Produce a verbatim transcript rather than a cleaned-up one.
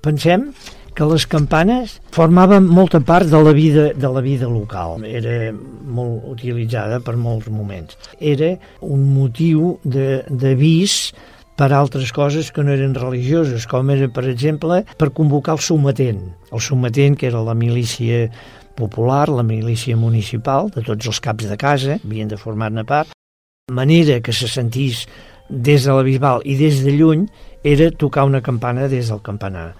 Pensem que les campanes formaven molta part de la vida de la vida local. Era molt utilitzada per molts moments. Era un motiu de, d'avís per altres coses que no eren religioses, com era, per exemple, per convocar el sometent. El sometent, que era la milícia popular, la milícia municipal, de tots els caps de casa, havien de formar-ne part. La manera que se sentís des de la Bisbal i des de lluny era tocar una campana des del campanar.